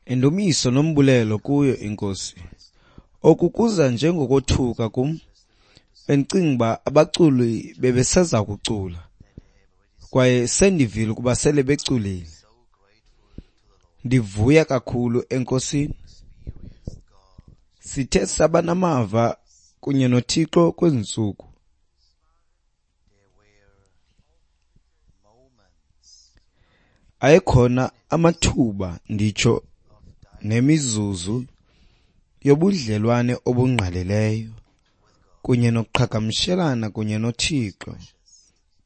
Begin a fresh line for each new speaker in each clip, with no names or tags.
Indumiso nombulelo kuyo iNkosi. Oku kuza njengokothuka kum. Bendicinga uba abaculi bebeseza kucula, kwaye sendivile ukuba sele beculile. Ndivuya kakhulu eNkosini. Sithe saba namava kunye noThixo kwezi ntsuku. Ayekhona amathuba, nditsho nemizuzu yobudlelwane obungqalileyo kunye nokuqhagamshelana kunye noThixo.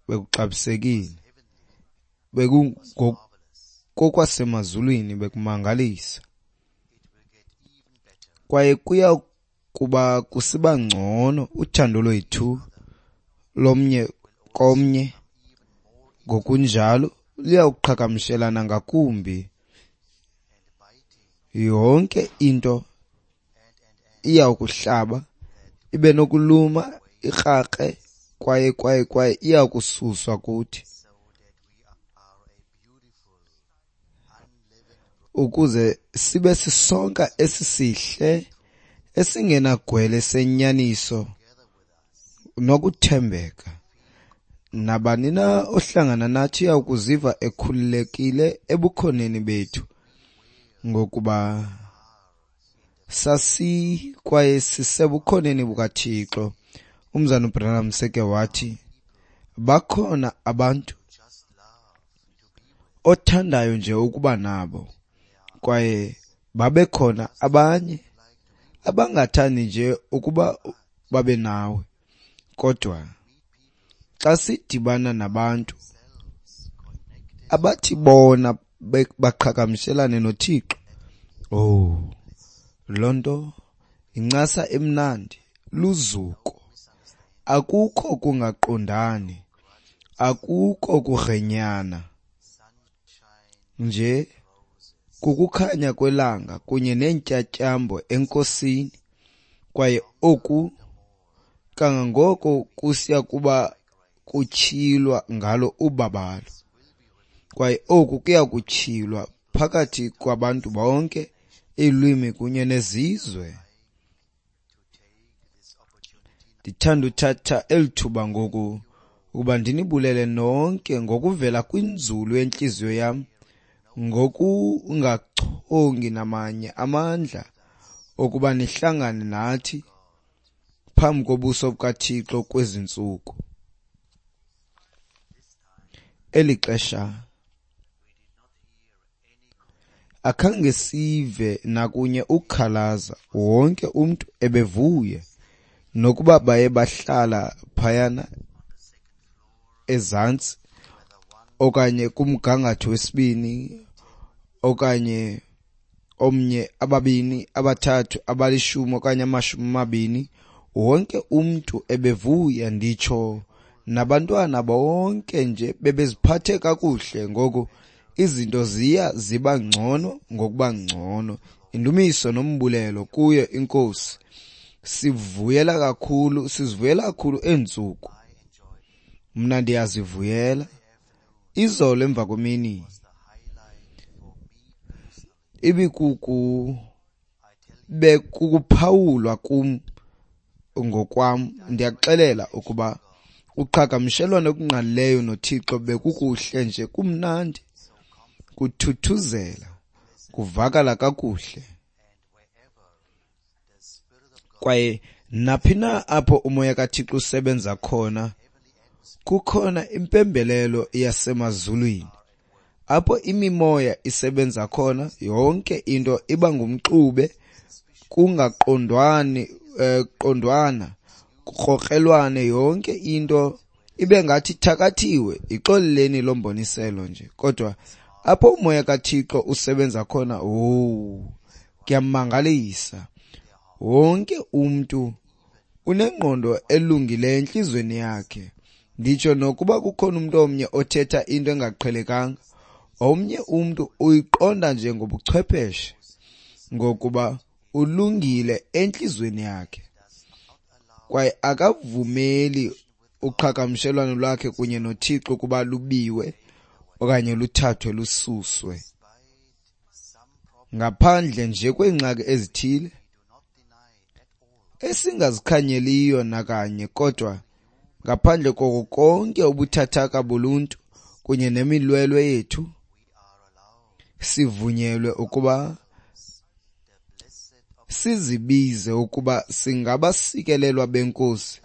Bekuxabisekile, bekungokokwasemazulwini, bekumangalisa, kwaye kuya kuba kusiba ngcono uthando lwethu lomnye komnye ngokunjalo luyawuqhagamshelana ngakumbi. Yonke into iyawukuhlaba, ibe nokuluma, ikrakre, kwaye kwaye kwaye iyakususwa kuthi, ukuze sibe sisonka esisihle esingenagwele senyaniso nokuthembeka. Nabani na ohlangana nathi uya kuziva ekhululekile ebukhoneni bethu, ngokuba sasi kwaye sisebukhoneni bukaThixo. Umzana uBranham seke wathi, bakhona abantu othandayo nje ukuba nabo, kwaye babekhona abanye abangathandi nje ukuba babe nawe. Kodwa xa sidibana nabantu abathi bona baqhagamshelane noThixo, oh, loo nto incasa emnandi, luzuko. Akukho kungaqondani, akukho kugrenyana, nje kukukhanya kwelanga kunye neentyatyambo eNkosini. Kwaye oku kangangoko kusiya kuba kutyhilwa ngalo ubabalo, kwaye oku kuya kutyhilwa phakathi kwabantu bonke, iilwimi kunye nezizwe. Ndithanda uthatha eli thuba ngoku ukuba ndinibulele nonke ngokuvela kwinzulu yentliziyo yam, ngokungachongi namanye amandla okuba nihlangane nathi phambi kobuso bukaThixo kwezi ntsuku. Eli xesha akhange sive nakunye ukukhalaza, wonke umntu ebevuya, nokuba baye bahlala phayana ezantsi okanye kumgangatho wesibini okanye omnye, ababini, abathathu, abalishumi okanye 20, wonke umntu ebevuya, nditsho nabantwana bonke nje bebeziphathe kakuhle. Ngoku izinto ziya ziba ngcono ngokuba ngcono. Indumiso nombulelo kuyo iNkosi. Sivuyela kakhulu, sizivuyela kakhulu eentsuku. Mna ndiyazivuyela. Izolo emva kwemini ibikuku bekukuphawulwa kum ngokwam. Ndiyakuxelela ukuba uqhagamshelwano olungqalileyo noThixo bekukuhle nje, kumnandi, kuthuthuzela, kuvakala kakuhle. Kwaye naphi na apho umoya kaThixo usebenza khona, kukhona impembelelo yasemazulwini. Apho imimoya isebenza khona, yonke into iba ngumxube, kungaqondwani, qondwana, kukrokrelwane, yonke into ibe ngathi ithakathiwe. Ixoleleni loo mboniselo nje. Kodwa apho umoya kaThixo usebenza khona, owu, kuyamangalisa. Wonke umntu unengqondo elungileyo entliziyweni yakhe. Nditsho nokuba kukhona umntu omnye othetha into engaqhelekanga, omnye umntu uyiqonda nje ngobuchwepheshe, ngokuba ulungile entliziyweni yakhe, kwaye akavumeli uqhagamshelwano lwakhe kunye noThixo ukuba lubiwe okanye luthathwe lususwe. Ngaphandle nje kweengxaki ezithile esingazikhanyeliyo nakanye, kodwa ngaphandle koko konke ubuthathaka boluntu kunye nemilwelwe yethu, sivunyelwe ukuba sizibize ukuba singabasikelelwa beNkosi,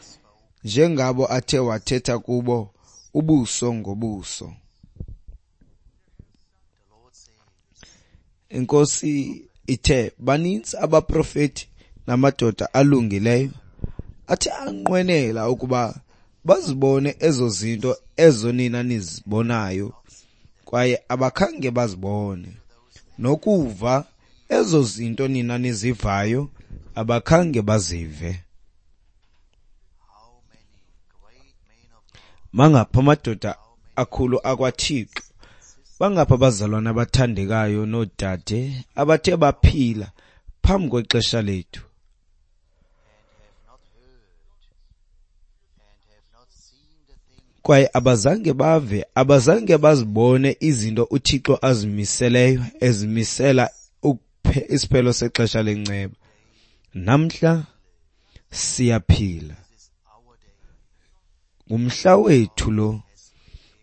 njengabo athe wathetha kubo ubuso ngobuso. INkosi ithe baninzi abaprofeti namadoda alungileyo athe anqwenela ukuba bazibone ezo zinto ezo nina nizibonayo, kwaye abakhange bazibone, nokuva ezo zinto nina nizivayo, abakhange bazive. Mangaphi amadoda akhulu akwaThixo, bangaphi abazalwana abathandekayo noodade abathe baphila phambi kwexesha lethu, kwaye abazange bave, abazange bazibone izinto uThixo azimiseleyo, ezimisela isiphelo sexesha lenceba. Namhla siyaphila, ngumhla wethu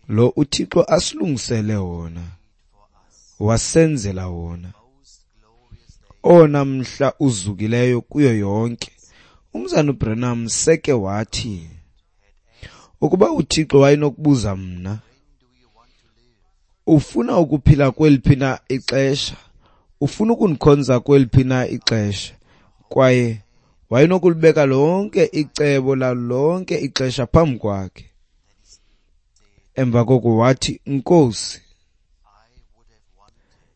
lo uThixo asilungisele wona, wasenzela wona, owona mhla uzukileyo kuyo yonke. Umzana uBranham seke wathi, ukuba uThixo wayenokubuza mna, ufuna ukuphila kweliphi na ixesha, ufuna ukundikhonza kweliphi na ixesha, kwaye wayenokulibeka lonke icebo lalo lonke ixesha phambi kwakhe. Emva koko wathi, Nkosi,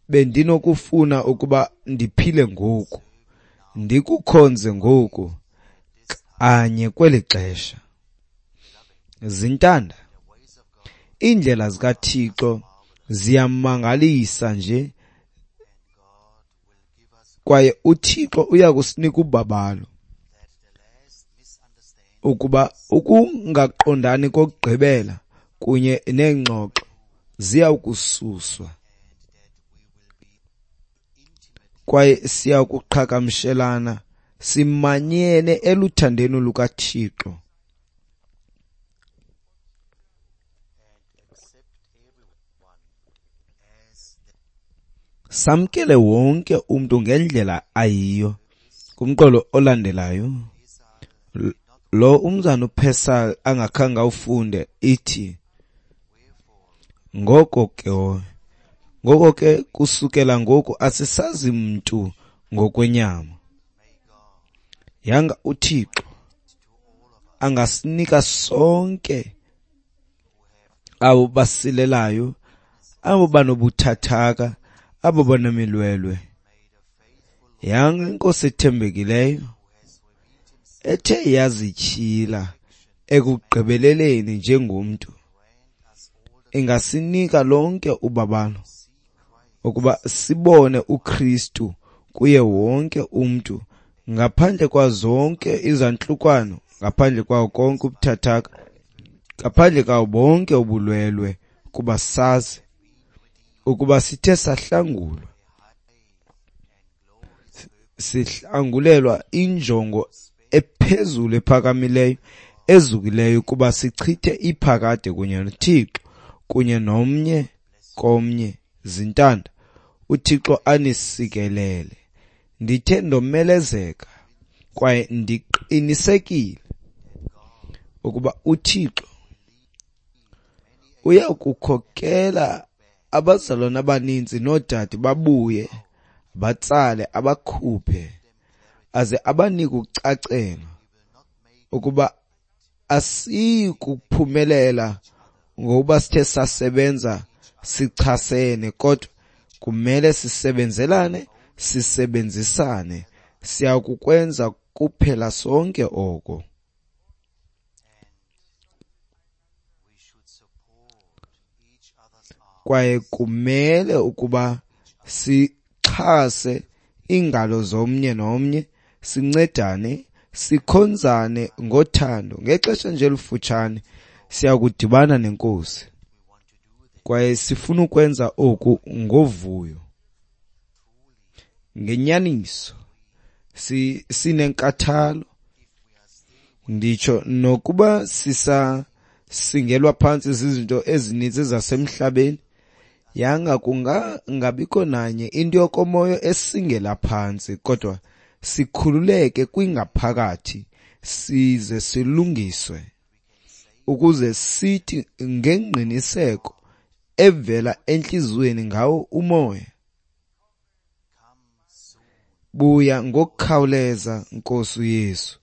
bendinokufuna ukuba ndiphile ngoku, ndikukhonze ngoku, kanye kweli xesha. Zintanda, iindlela zikaThixo ziyamangalisa nje, kwaye uThixo uyakusinika ubabalo ukuba ukungaqondani kokugqibela kunye neengxoxo ziyakususwa, kwaye siyakuqhagamshelana simanyene eluthandweni lukaThixo. Samkele wonke umntu ngendlela ayiyo. Kumqolo olandelayo, lo umzana uPesal angakhange awufunde, ithi, ngoko ke kusukela ngoku asisazi mntu ngokwenyama. Yanga uThixo angasinika sonke abo basilelayo, abo banobuthathaka, abo banemilwelwe. Yanga iNkosi ethembekileyo ethe yazityhila ekugqibeleleni njengomntu ingasinika lonke ubabalo ukuba sibone uKristu kuye wonke umntu, ngaphandle kwazonke izantlukwano, ngaphandle kwawo konke ubuthathaka, ngaphandle kwawo bonke ubulwelwe, kuba sazi ukuba sithe sahlangulwa, sihlangulelwa injongo ephezulu ephakamileyo ezukileyo, kuba sichithe iphakade kunye noThixo kunye nomnye komnye. Zintanda, uThixo anisikelele. Ndithe ndomelezeka kwaye ndiqinisekile ukuba uThixo uyakukhokela abazalwana abaninzi noodade babuye, batsale, abakhuphe, aze abanike ukucacela ukuba asiyi kuphumelela ngokuba sithe sasebenza sichasene, kodwa kumele sisebenzelane, sisebenzisane. Siyakukwenza kuphela sonke oko. Kwaye kumele ukuba sixhase iingalo zomnye nomnye, sincedane, sikhonzane ngothando. Ngexesha nje elifutshane siyakudibana neNkosi, kwaye sifuna ukwenza oku ngovuyo. Ngenyaniso sinenkathalo, nditsho nokuba sisasingelwa phantsi zizinto ezininzi zasemhlabeni, yanga kungangabikho nanye into yokomoya esingela phantsi, kodwa sikhululeke kwingaphakathi size silungiswe, ukuze sithi ngengqiniseko evela entliziyweni ngawo umoya, buya ngokukhawuleza, Nkosi uYesu.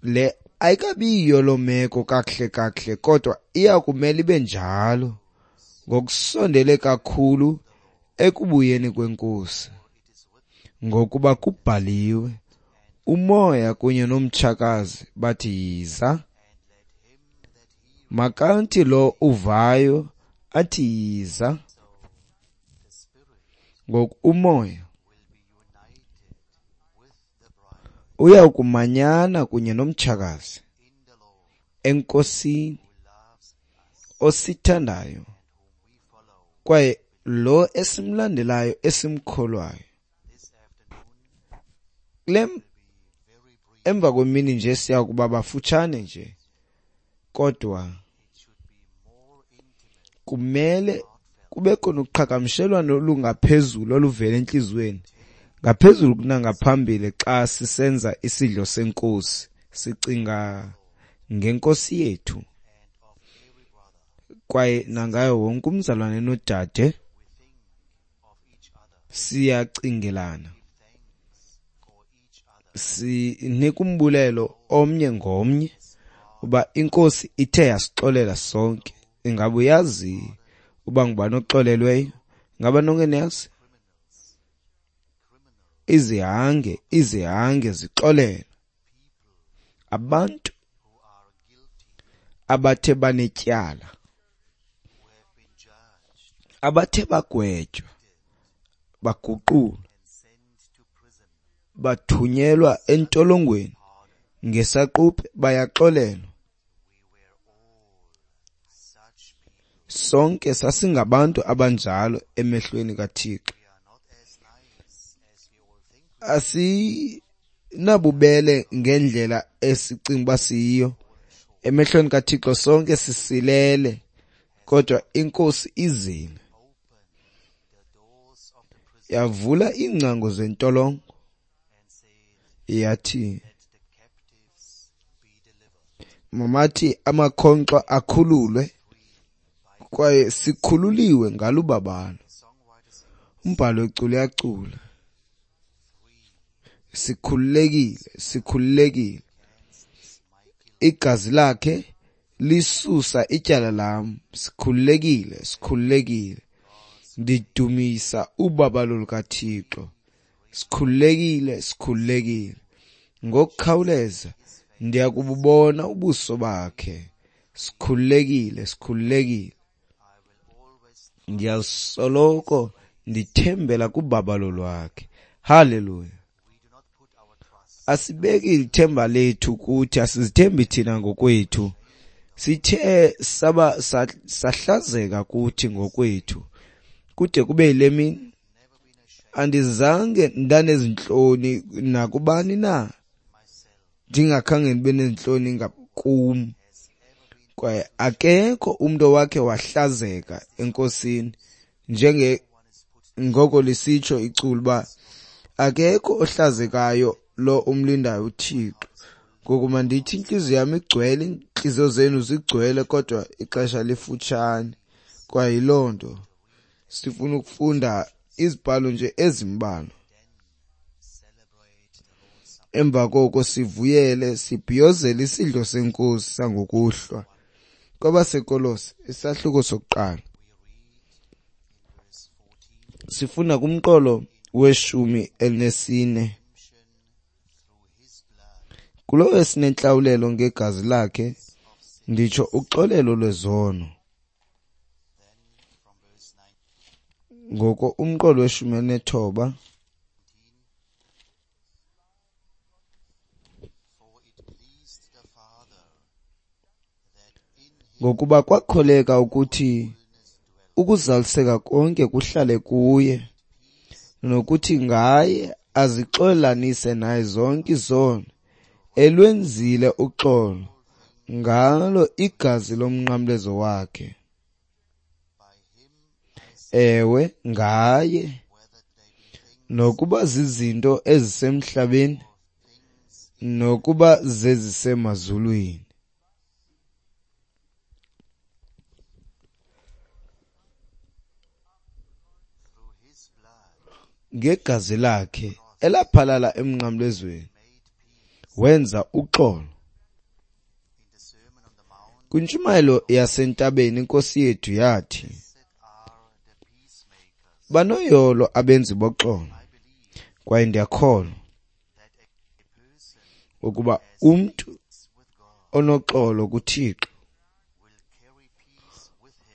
Le ayikabiyiyo loo meko kakuhle kakuhle, kodwa iya kumele ibe njalo ngokusondele kakhulu ekubuyeni kweNkosi, ngokuba kubhaliwe, umoya kunye nomtshakazi bathi yiza. Makanti lo uvayo athi yiza. Ngoku umoya uya kumanyana kunye nomtshakazi eNkosini osithandayo, kwaye lo esimlandelayo esimkholwayo. Kule emva kwemini nje siya kuba bafutshane nje, kodwa kumele kube khona uqhagamshelwano olungaphezulu oluvela entliziyweni, ngaphezulu kunangaphambili xa sisenza isidlo seNkosi, sicinga ngeNkosi yethu kwaye nangayo wonke umzalwane nodade. Siyacingelana, sinika umbulelo omnye ngomnye uba iNkosi ithe yasixolela sonke. Ingaba uyazi uba ngubani oxolelweyo? Ingaba nonke niyazi? Izihange zixolelwe. Abantu abathe banetyala, abathe bagwetywa, baguqulwa, bathunyelwa entolongweni ngesaquphe, bayaxolelwa. Sonke sasingabantu abanjalo emehlweni kaThixo. Asinabubele ngendlela esicinga uba siyiyo. Emehlweni kaThixo sonke sisilele, kodwa iNkosi izile yavula iingcango zentolongo, yathi mamathi amakhonkxwa akhululwe, kwaye sikhululiwe ngalubabalo. Umbhalo wecula uyacula, sikhululekile, sikhululekile. Igazi lakhe lisusa ityala lam. Sikhululekile, sikhululekile. Ndidumisa ubabalo lukaThixo. Sikhululekile, sikhululekile. Ngokukhawuleza ndiyakububona ubuso bakhe. Sikhululekile, sikhululekile. Ndiyasoloko ndithembela kubabalo lwakhe. Haleluya. Asibeki ithemba lethu kuthi, asizithembi thina ngokwethu. Sithe saba sahlazeka kuthi ngokwethu kude kube yile mini. Andizange ndanezintloni nakubani na, ndingakhange ndibe nezintloni ngakum. Kwaye akekho umntu owakhe wahlazeka eNkosini, njenge ngoko lisitsho iculo uba akekho ohlazekayo lo umlindayo uThixo. Ngoku mandithi intliziyo yam igcwele, iintliziyo zenu zigcwele, kodwa ixesha lifutshane. Kwaye yiloo nto sifuna ukufunda izibhalo nje ezimbalwa. Emva koko sivuyele sibhiyozele isidlo seNkosi sangokuhlwa. KwabaseKolose isahluko sokuqala, sifunda kumqolo weshumi elinesine. Kulowo esinentlawulelo ngegazi lakhe, nditsho uxolelo lwezono. Ngoko umqolo weshumi elinethoba, ngokuba kwakholeka ukuthi ukuzaliseka konke kuhlale kuye, nokuthi ngaye azixolanise naye zonke izono, elwenzile uxolo ngalo igazi lomnqamlezo wakhe. Ewe, ngaye, nokuba zizinto ezisemhlabeni nokuba zezisemazulwini. Ngegazi lakhe elaphalala emnqamlezweni wenza uxolo. Kwintshumayelo yasentabeni iNkosi yethu yathi, banoyolo abenzi boxolo, kwaye ndiyakholwa ukuba umntu onoxolo kuThixo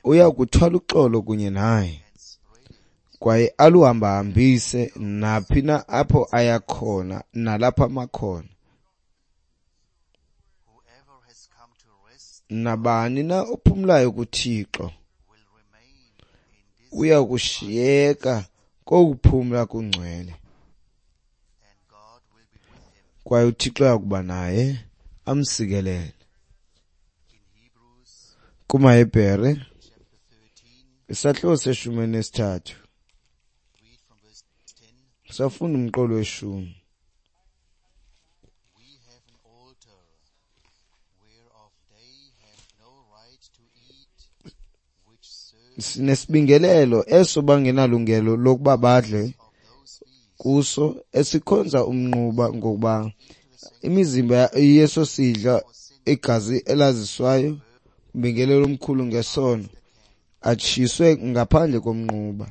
uya kuthwala uxolo kunye naye, kwaye aluhambahambise naphi na apho aya khona nalapho amakhona. Nabani na ophumlayo kuThixo uya kushiyeka kokuphumla kungcwele, kwaye uThixo uya kuba naye amsikelele. KumaHebhere isahluko se-13 safunda umqolo we-10. Sinesibingelelo eso bangenalungelo lokuba badle kuso, esikhonza umnquba, ngokuba imizimba yeso sidla igazi elaziswayo umbingelelo omkhulu ngesono atshiswe ngaphandle komnquba.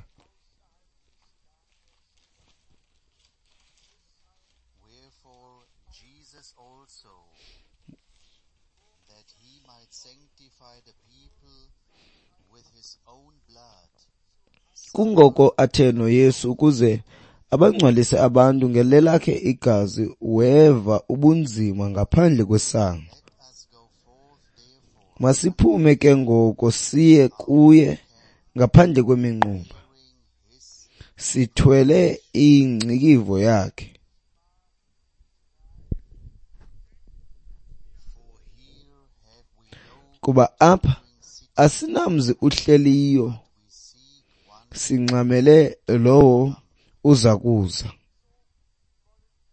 Wherefore Jesus also, that he might sanctify the people with his own blood,
Kungoko athe noYesu ukuze abangcwalise abantu ngelelakhe igazi, weva ubunzima ngaphandle kwesango.
Let us go forth therefore,
Masiphume ke ngoko siye kuye ngaphandle kweminquba, sithwele ingcikivo yakhe.
for here have we no
Kuba apha asinamzi uhleliyo,
we seek one.
singxamele lowo uza kuza.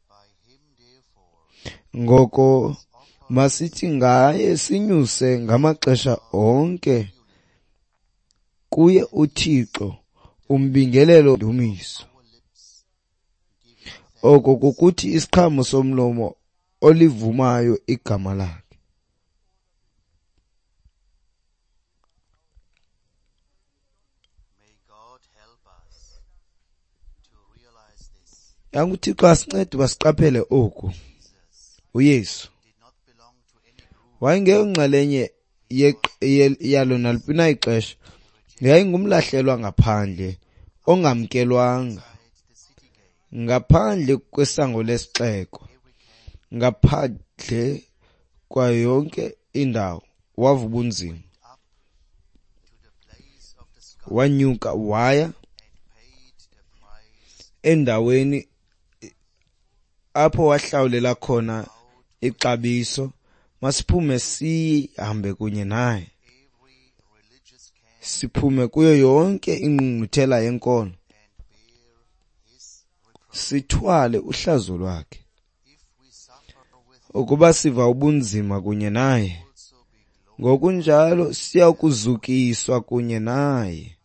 By him therefore
Ngoko masithi ngaye sinyuse ngamaxesha onke kuye uThixo umbingelelo ndumiso.
our lips giving
Oko kukuthi isiqhamo somlomo olivumayo igama lakhe.
May God help us to realize this.
Yanga uThixo asincede uba siqaphele oku.
Jesus
uYesu
did not belong to any group.
wayengeyonxalenye yalo naliphi na ixesha, yayingumlahlelwa ngaphandle ongamkelwanga,
Outside the city gate,
ngaphandle kwesango lesixeko,
every camp
ngaphandle kwayo yonke indawo wava ubunzima.
up to the place of the skull
Wanyuka waya
and paid the price
endaweni apho wahlawulela khona ixabiso. Masiphume sihambe kunye naye,
every religious camp
siphume kuyo yonke ingqungquthela yenkolo,
and bear his reproach.
sithwale uhlazo lwakhe.
If we suffer with him,
Ukuba siva ubunzima kunye naye,
also be glorified.
ngokunjalo siya kuzukiswa kunye naye.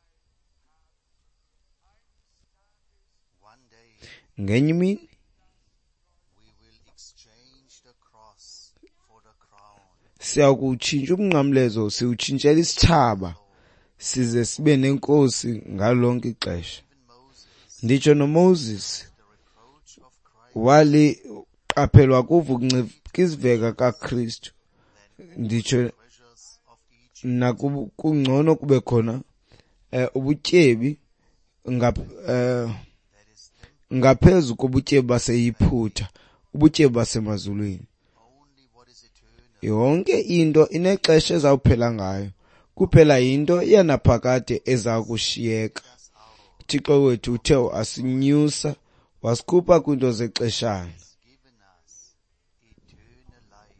One day
Ngenye imini
we will exchange the cross for the crown.
siya kuwutshintsha umnqamlezo, siwutshintshele isithsaba, size sibe nenkosi ngalo lonke ixesha.
Even Moses,
Nditsho noMoses
the reproach of Christ,
waliqaphelwa kuva ukuncikiziveka kaKristu. Nditsho
treasures of Egypt,
kungcono kube khona ubutyebi
that is
ngaphezu kobutyebi baseYiphutha, ubutyebi basemazulwini.
only what is eternal.
Yonke into inexesha ezawuphela ngayo, kuphela yinto yanaphakade eza kushiyeka.
Us out
uThixo wethu uthe wasinyusa wasikhupha kwiinto zexeshana,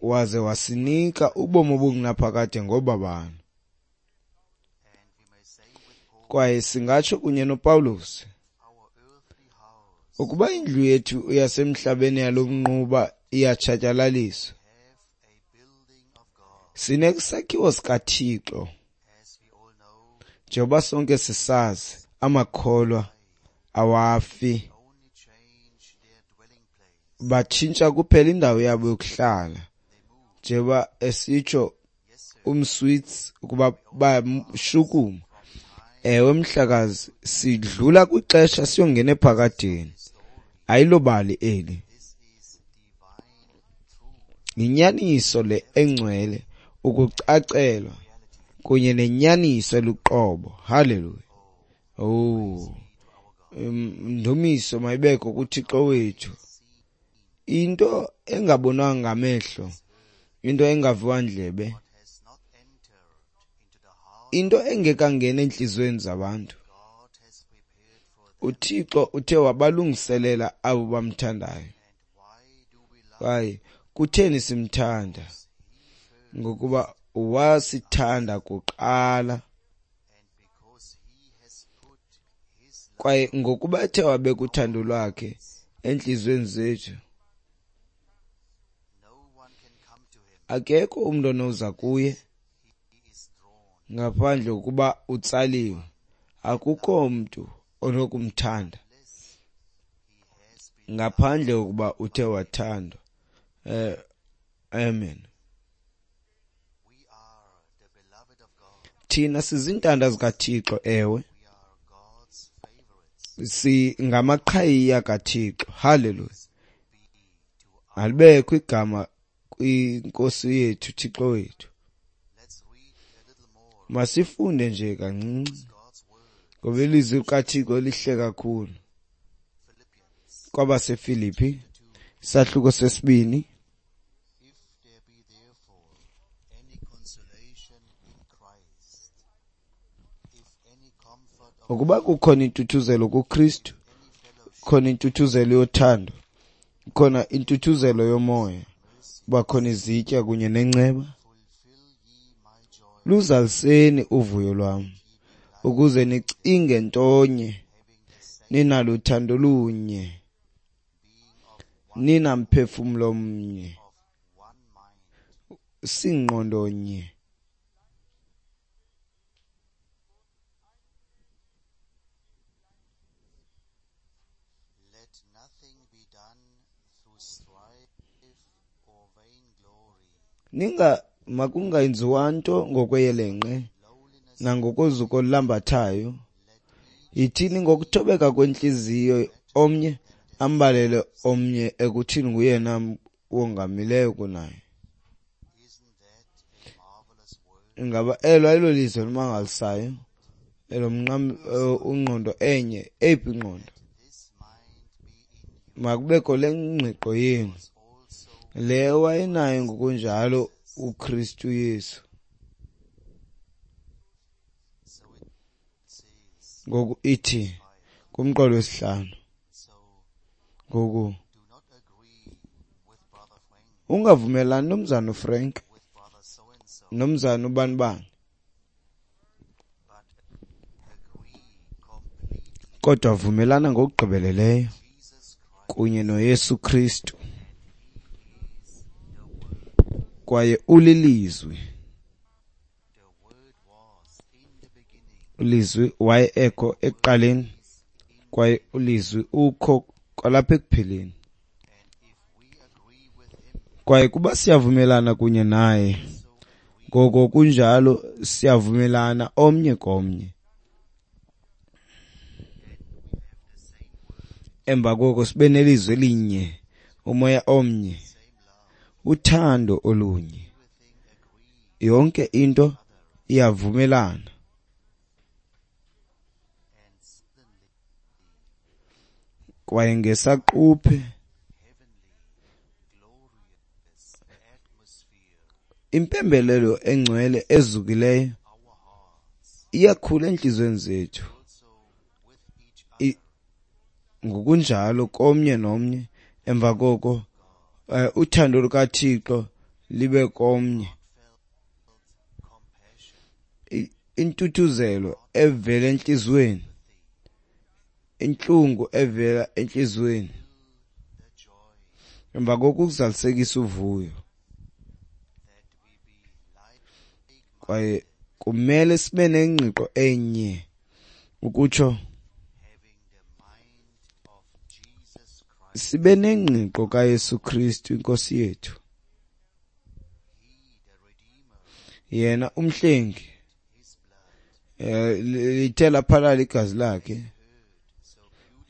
waze wasinika ubomi obungunaphakade ngobabalo. Kwaye singatsho kunye noPawulos, ukuba indlu yethu yasemhlabeni yalo mnquba iyatshatyalaliswa, sinesakhiwo sikaThixo. Njengoba sonke sisazi, amakholwa awafi, batshintsha kuphela indawo yabo yokuhlala, njengoba esitsho umSwiss ukuba bayashukuma. Ewe mhlekazi, sidlula kwixesha siyongena ephakadeni. Ayilobali eli, yinyaniso le engcwele, ukucacelwa kunye nenyaniso eluqobo. Haleluya! Oh, ndumiso mayibekho kuThixo wethu. Into engabonwanga ngamehlo, into engaviwa ndlebe, into engekangeni entliziyweni zabantu, uThixo uthe wabalungiselela abo bamthandayo. Kwaye kutheni simthanda? Ngokuba wasithanda kuqala, kwaye ngokuba ethe wabeka uthando lwakhe entliziyweni zethu, akekho umntu onoza kuye ngaphandle kokuba utsaliwe. Akukho mntu onokumthanda ngaphandle kokuba uthe wathandwa. Amen. Thina sizintanda zikaThixo, ewe, singamaqhayiya kaThixo. Haleluya! Alibekho igama kwinkosi yethu, Thixo wethu. Masifunde nje kancinci, ngoba ilizwi likaThixo lihle kakhulu. KwabaseFilipi, isahluko 2. Ukuba kukhona intuthuzelo kuKristu, khona intuthuzelo yothando, khona intuthuzelo yomoya, kuba khona izitya kunye nenceba, luzaliseni uvuyo lwam, ukuze nicinge ntonye, ninalo uthando lunye, ninamphefumlo mnye, singqondo nye. Makungenziwa nto ngokweyelenqe nangokozuko olulambathayo. Yithini ngokuthobeka kwentliziyo omnye ambalele omnye ekuthini nguyena wongamileyo kunaye. Ingaba elo ayilo lizwi elimangalisayo? Elo ungqondo enye, eyiphi ingqondo? Makubekho le ngqiqo yenu, le wayenayo ngokunjalo uKristu Yesu. Ngoku ithi kumqolo wesihlanu. Ngoku ungavumelani nomzana uFrank, nomzana ubanibani, kodwa vumelana ngokugqibeleleyo kunye noYesu Kristu, kwaye ulilizwi. Ulizwi waye ekho ekuqaleni, kwaye ulizwi ukho kwalapha ekupheleni. Kwaye kuba siyavumelana kunye naye, ngoko kunjalo siyavumelana omnye komnye. Emva koko sibe nelizwi elinye, umoya omnye, uthando olunye. Yonke into iyavumelana. Kwaye ngesaquphe impembelelo engcwele ezukileyo iyakhula entliziyweni zethu ngokunjalo komnye nomnye. Emva koko uthando lukaThixo libe komnye, intuthuzelo evela entliziyweni, intlungu evela entliziyweni, emva koko ukuzalisekisa uvuyo. Kwaye kumele sibe nengqiqo enye, ukutsho sibe nengqiqo kaYesu Kristu iNkosi yethu. Yena umhlengi, lithe laphalala igazi lakhe.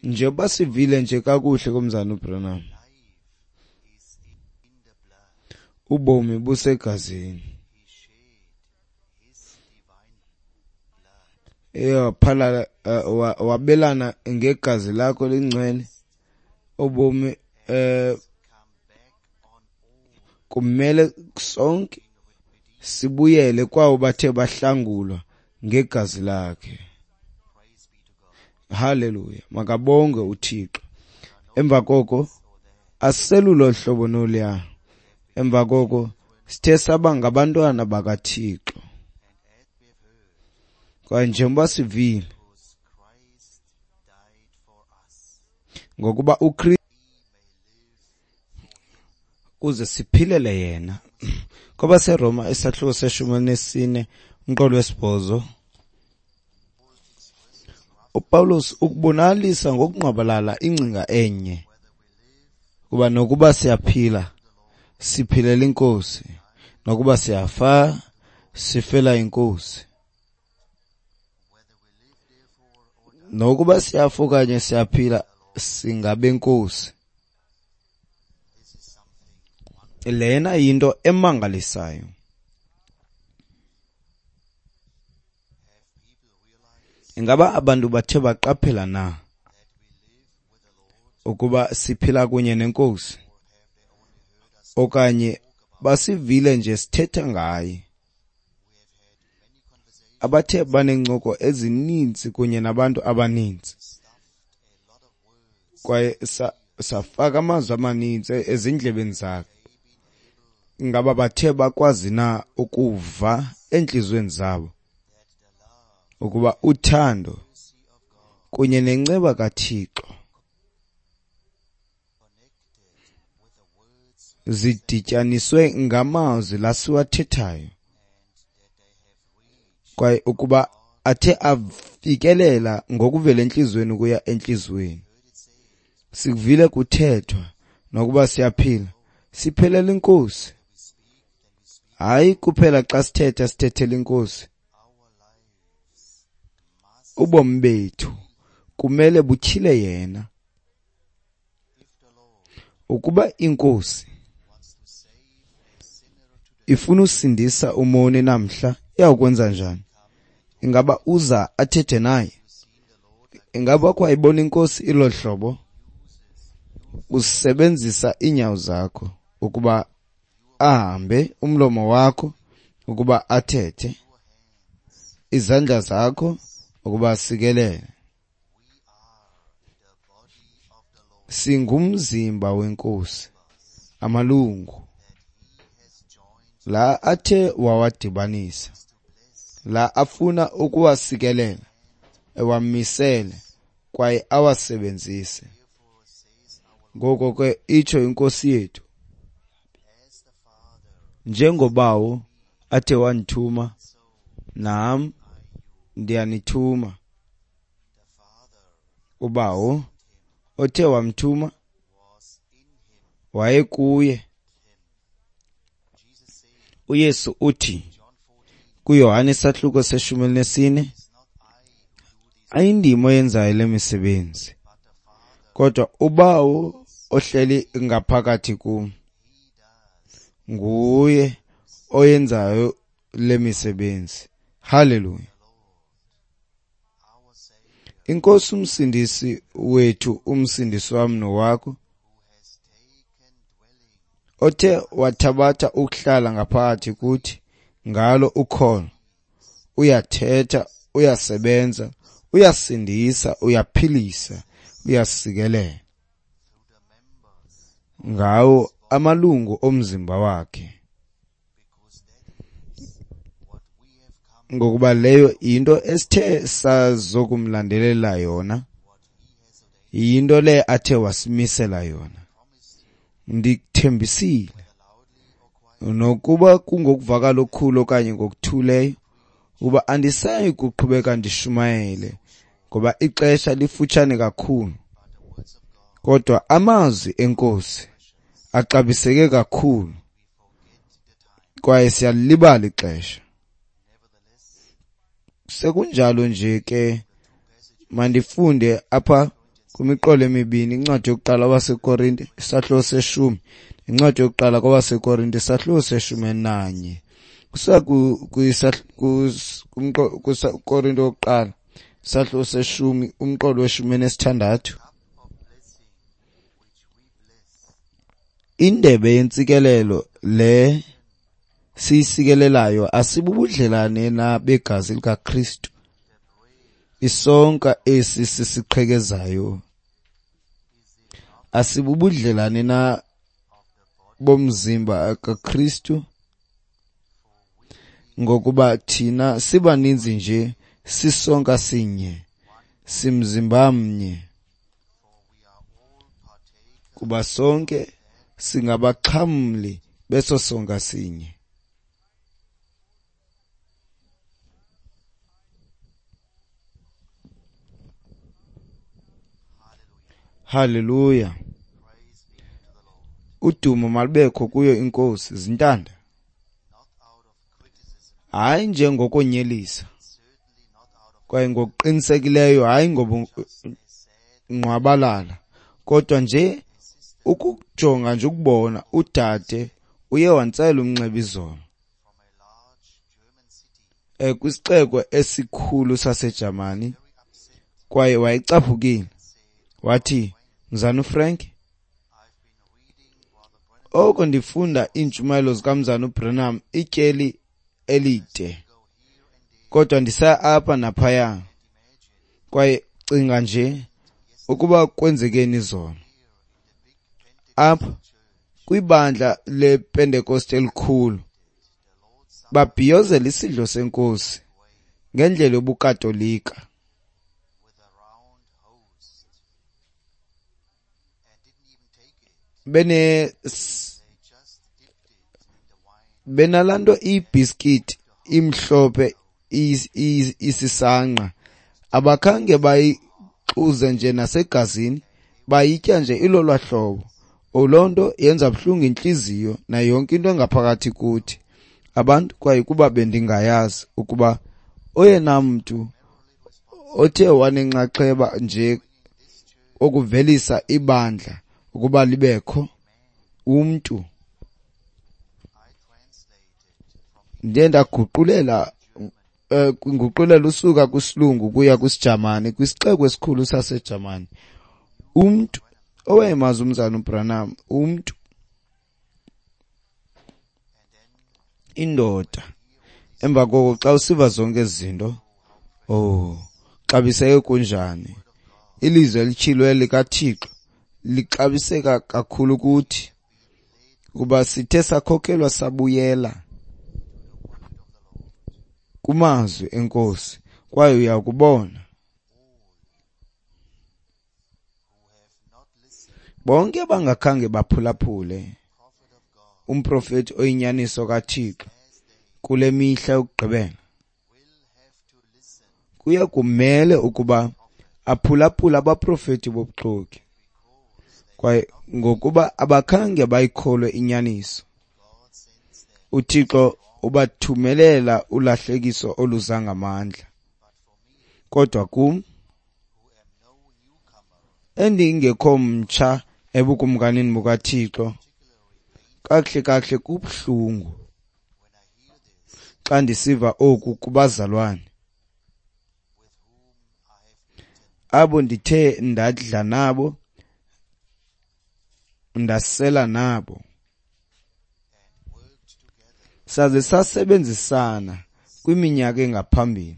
Njengoba sivile nje kakuhle komzana uBranham, ubomi busegazini. Waphalala, wabelana ngegazi lakho lingcwele, ubomi kumele sonke sibuyele kwawo bathe bahlangulwa ngegazi lakhe. Haleluya, makabongwe uThixo. Emva koko asiselulo hlobo noluya. Emva koko sithe saba ngabantwana bakaThixo. Kwaye njengoba sivile, ngokuba uKristu kuze siphilele yena. KwabaseRoma isahluko se-14 umqolo wesibhozo, uPawulos ukubonakalisa ngokungqwabalala ingcinga enye, kuba nokuba siyaphila siphilela iNkosi, nokuba siyafa sifela iNkosi. Nokuba siyafa okanye siyaphila singabenkosi. Lena yinto emangalisayo. Ingaba abantu bathe baqaphela na ukuba siphila kunye neNkosi, okanye basivile nje sithetha ngaye? Abathe baneencoko ezininzi kunye nabantu abaninzi, kwaye safaka amazwi amaninzi ezindlebeni zakhe. Ingaba bathe bakwazi na ukuva entliziyweni zabo ukuba uthando kunye nenceba kaThixo zidityaniswe ngamazwi lasiwathethayo, kwaye ukuba athe afikelela ngokuvela entliziyweni ukuya entliziyweni? Sikuvile kuthethwa nokuba siyaphila siphelela iNkosi. Hayi kuphela xa sithetha sithethela iNkosi. Ubomi bethu kumele butyhile yena. Ukuba iNkosi ifuna usindisa umoni namhla, iyawukwenza njani? Ingaba uza athethe naye? Ingaba kwayibona iNkosi ilo hlobo? Usebenzisa iinyawo zakho ukuba ahambe, umlomo wakho ukuba athethe, izandla zakho ukuba asikelele. Singumzimba weNkosi, amalungu la athe wawadibanisa, la afuna ukuwasikelela, ewamisele kwaye awasebenzise. Ngoko ke itsho iNkosi yethu, njengobawo athe wandithuma, nam ndiyanithuma. Ubawo othe wamthuma wayekuye. uYesu uthi kuYohane isahluko se-14, ayindim oyenzayo le misebenzi, kodwa ubawo ohleli ngaphakathi kum nguye oyenzayo le misebenzi. Haleluya. INkosi umsindisi wethu, umsindisi wam nowakho, othe wathabatha ukuhlala ngaphakathi kuthi ngalo ukholo, uyathetha, uyasebenza, Uyasindisa, uyaphilisa, uyasikelela ngawo amalungu omzimba wakhe, ngokuba leyo yinto esithe sazokumlandelela yona, yinto le athe wasimisela yona. Ndikuthembisile, nokuba kungokuvakala okukhulu okanye ngokuthuleyo, ukuba andisayi kuqhubeka ndishumayele, ngoba ixesha lifutshane kakhulu. Kodwa amazwi eNkosi axabiseke kakhulu, kwaye siyalibala ixesha. Sekunjalo nje ke, mandifunde apha kwimiqolo emibini, incwadi yokuqala kwabaseKorinte isahluko seshumi, incwadi yokuqala kwabaseKorinte isahluko se-11. Kusuka Korinte wokuqala isahluko seshumi, umqolo we-16. Indebe yentsikelelo le siyisikelelayo asibubudlelane na begazi likaKristu? Isonka esi sisiqhekezayo asibubudlelane na bomzimba kaKristu? Ngokuba thina sibaninzi nje, sisonka sinye, simzimba mnye, kuba sonke singabaxhamli beso sonka sinye. Haleluya. Udumo malubekho kuyo iNkosi. Zintanda, hayi njengokonyelisa, kwaye ngokuqinisekileyo hayi ngobungqwabalala, kodwa nje ukujonga nje ukubona udade uye wantsela umnxeba izolo kwisixeko esikhulu saseJamani, kwaye wayecaphukile. Wathi, Mzana uFrank, oko ndifunda iintshumayelo zikaMzana uBranham ityeli elide, kodwa ndisaya apha naphaya, kwaye cinga nje ukuba kwenzekeni izolo apha kwibandla lePentekoste elikhulu, babhiyozela isidlo seNkosi ngendlela yobuKatolika. Benalaa nto ibhiskithi imhlophe isisangqa, abakhange bayixuze nje nasegazini, bayitya nje ilolwa hlobo. Loo nto yenza buhlungu intliziyo nayo yonke into engaphakathi kuthi abantu. Kwaye kuba bendingayazi ukuba oyena mntu othe wanenxaxheba nje okuvelisa ibandla ukuba libekho umntu, ndiye ndaguqulela kwinguqulelo usuka kwisilungu kuya kwisiJamani, kwisixeko esikhulu saseJamani, umntu owayemazi umzana uBranham, umntu, indoda. Emva koko xa usiva zonke ezi zinto, oh, xabiseke kunjani ilizwi elityhilwe likaThixo lixabiseka kakhulu kuthi, kuba sithe sakhokelwa sabuyela kumazwi eNkosi, kwaye uyakubona bonke abangakhange baphulaphule umprofeti oyinyaniso kaThixo kule mihla yokugqibela, kuya kumele ukuba aphulaphule abaprofeti bobuxoki, kwaye ngokuba abakhange bayikholwe inyaniso, uThixo ubathumelela ulahlekiso oluza ngamandla. Kodwa kum, endingekho mtsha ebukumkanini bukaThixo, kakuhle kakuhle kubuhlungu xa ndisiva oku kubazalwane abo ndithe ndadla nabo, ndasela nabo, saze sasebenzisana kwiminyaka engaphambili.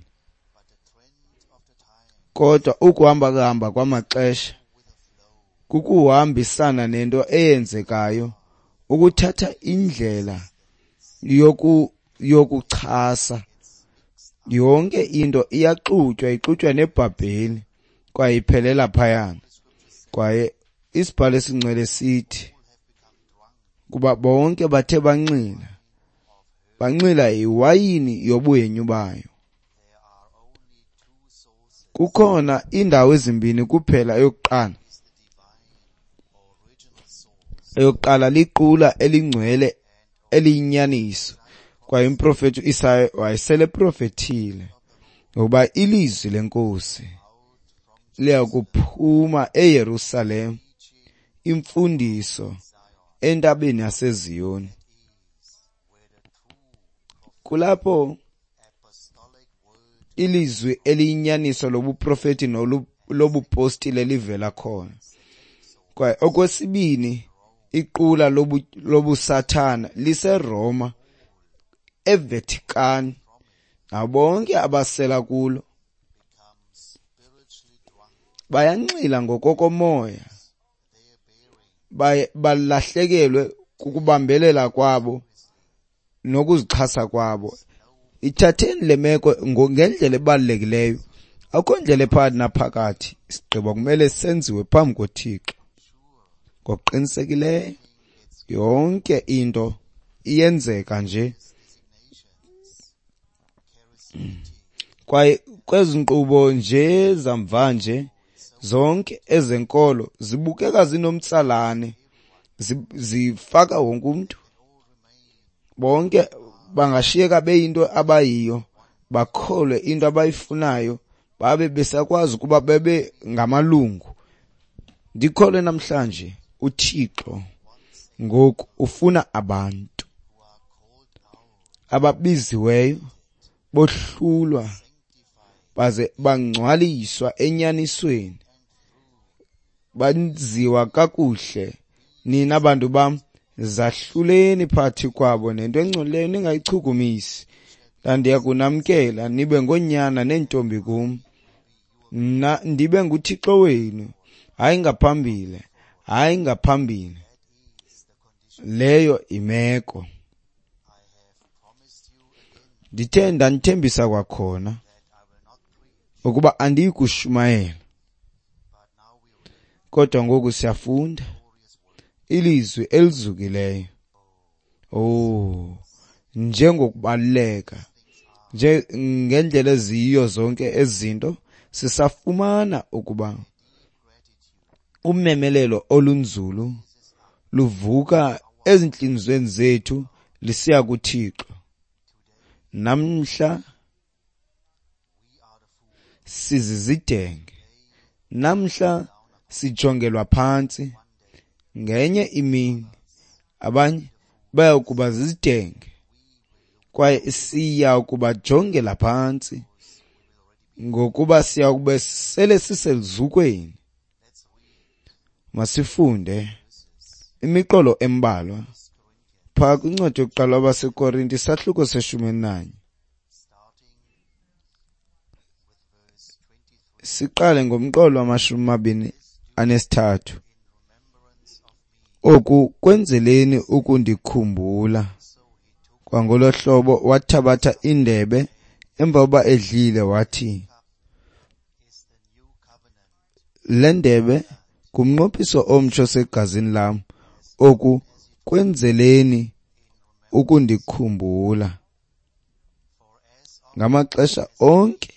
Kodwa ukuhamba-hamba kwamaxesha kukuhambisana nento eyenzekayo, ukuthatha indlela yokuchasa. Yonke into iyaxutywa, ixutywa neBhabheli, kwaye iphelela phayana. Kwaye isibhalo esingcwele sithi kuba bonke bathe banxila, banxila yiwayini yobuhenyu bayo. Kukhona iindawo ezimbini kuphela. Eyokuqala liqula elingcwele eliyinyaniso, kwaye umprofeti uIsaya wayesele eprofethile ngokuba ilizwi leNkosi liyakuphuma eYerusalem, imfundiso entabeni yaseZiyoni. Kulapho ilizwi eliyinyaniso lobuprofeti lobupostile livela khona. Kwaye okwesibini, iqula lobusathana liseRoma, eVatican, nabo bonke abasela kulo bayanxila ngokokomoya, balahlekelwe kukubambelela kwabo nokuzixhasa kwabo. Ithatheni le meko ngendlela ebalulekileyo. Akukho ndlela ephakathi naphakathi. Isigqibo kumele senziwe phambi koThixo. Ngokuqinisekileyo yonke into iyenzeka nje. Kwaye kwezi nkqubo nje zamvanje zonke ezenkolo zibukeka zinomtsalane, zifaka wonke umntu. Bonke bangashiyeka beyinto abayiyo, bakholwe into abayifunayo, babe besakwazi ukuba bebe ngamalungu. Ndikholwe namhlanje uThixo ngoku ufuna abantu ababiziweyo, bohlulwa baze bangcwaliswa enyanisweni, banziwa kakuhle. Nina bantu bam, zahluleni phakathi kwabo nento engcolileyo ningayichukumisi. Ndandiya kunamkela nibe ngoonyana neentombi kum, mna ndibe nguThixo wenu. Hayi ngaphambili, hayi ngaphambili. Leyo imeko. Ndithe ndanithembisa kwakhona ukuba andiyi kushumayela, kodwa ngoku siyafunda ilizwi elizukileyo. Oh, njengokubaluleka nje ngendlela eziyiyo zonke ezinto, sisafumana ukuba umemelelo olunzulu luvuka ezintliziyweni zethu lisiya kuThixo. Namhla sizizidenge, namhla sijongelwa phantsi. Ngenye imini abanye baya kuba zizidenge, kwaye siya kubajongela phantsi, ngokuba siya kube sele siseluzukweni. Masifunde imiqolo embalwa phaa kwincwadi yokuqala abaseKorinte, isahluko se-11, siqale ngomqolo wama-23. Oku kwenzeleni ukundikhumbula. Kwangolo hlobo wathabatha indebe emva kokuba edlile, wathi, le ndebe ngumnqophiso omtsha osegazini lam. Oku kwenzeleni ukundikhumbula. Ngamaxesha onke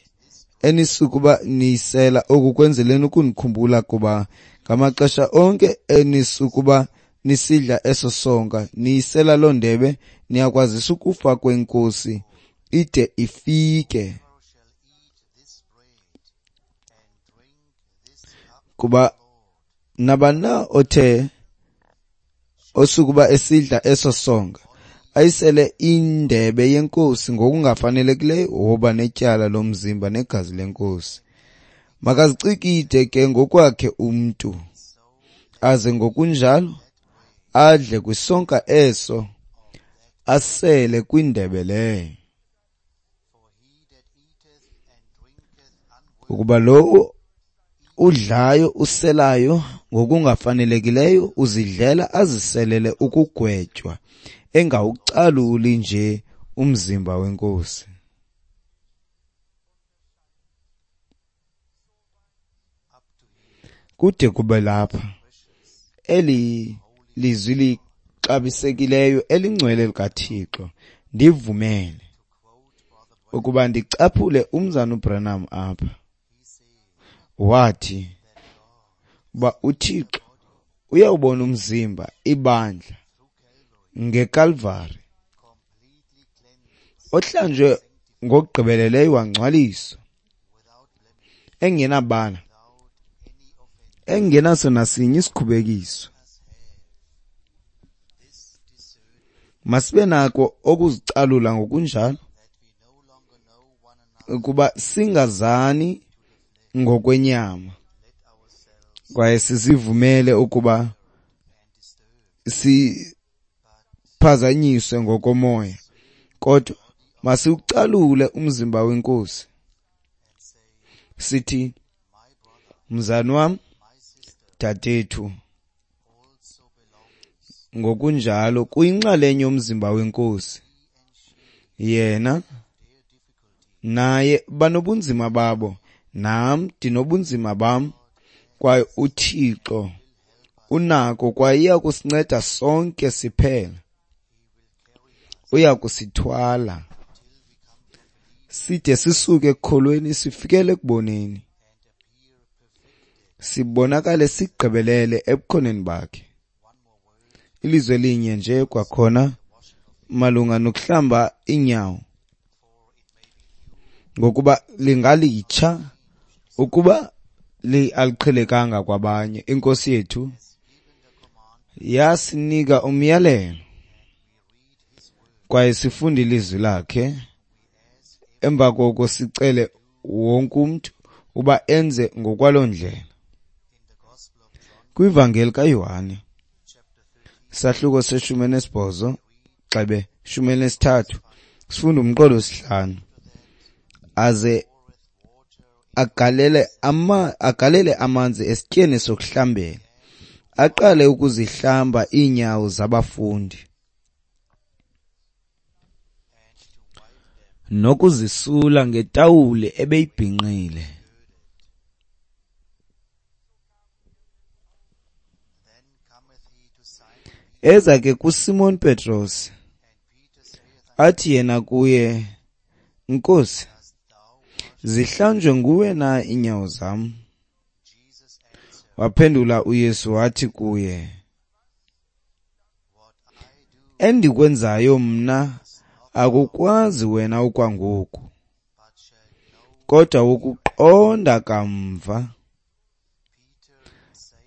enisukuba niyisela, oku kwenzeleni ukundikhumbula, kuba ngamaxesha onke enisukuba nisidla eso sonka, niyisela loo ndebe, niyakwazisa ukufa kweNkosi ide ifike. Kuba nabani na othe osukuba esidla eso sonka ayisele indebe yeNkosi ngokungafanelekileyo, woba netyala lomzimba negazi leNkosi. Makazicikide ke ngokwakhe umntu, aze ngokunjalo adle kwisonka eso, asele kwindebe leyo. Ukuba lowo udlayo uselayo ngokungafanelekileyo uzidlela aziselele ukugwetywa, engawucaluli nje umzimba weNkosi. Kude kube lapha, eli lizwi lixabisekileyo elingcwele likaThixo, ndivumele ukuba ndicaphule umzana uBranham apha. Wathi uba uThixo uyawubona umzimba, ibandla, ngeKalvari, ohlanjwe ngokugqibeleleyo wangcwaliswa, engenabala, engenaso nasinye isikhubekiso. Masibe nako okuzicalula ngokunjalo, ukuba singazani ngokwenyama, kwaye sizivumele ukuba siphazanyiswe ngokomoya, kodwa masiwucalule umzimba weNkosi, sithi, mzani wam, dadethu, ngokunjalo kuyinxalenye yomzimba weNkosi. Yena naye banobunzima babo, nam ndinobunzima bam, kwaye uThixo unako kwaye iya kusinceda sonke siphela. Uya kusithwala side sisuke ekukholweni sifikele ekuboneni, sibonakale sigqibelele ebukhoneni bakhe. Ilizwi elinye nje kwakhona malunga nokuhlamba iinyawo, ngokuba lingalitsha ukuba aliqhelekanga kwabanye. INkosi yethu yasinika umyalelo, kwaye sifunde ilizwi lakhe. Emva koko sicele wonke umntu uba enze ngokwaloo ndlela. KwiVangeli kaYohane, sahluko se-18 gxebe 13, sifunda umqolo wesihlanu. Aze agalele amanzi esityeni sokuhlambela, aqale ukuzihlamba iinyawo zabafundi nokuzisula ngetawuli ebeyibhinqile. Eza ke kuSimon Petros, athi yena kuye, Nkosi, zihlanjwe nguwe na iinyawo zam? Waphendula uYesu wathi kuye, endikwenzayo mna akukwazi wena okwangoku, kodwa wokuqonda kamva.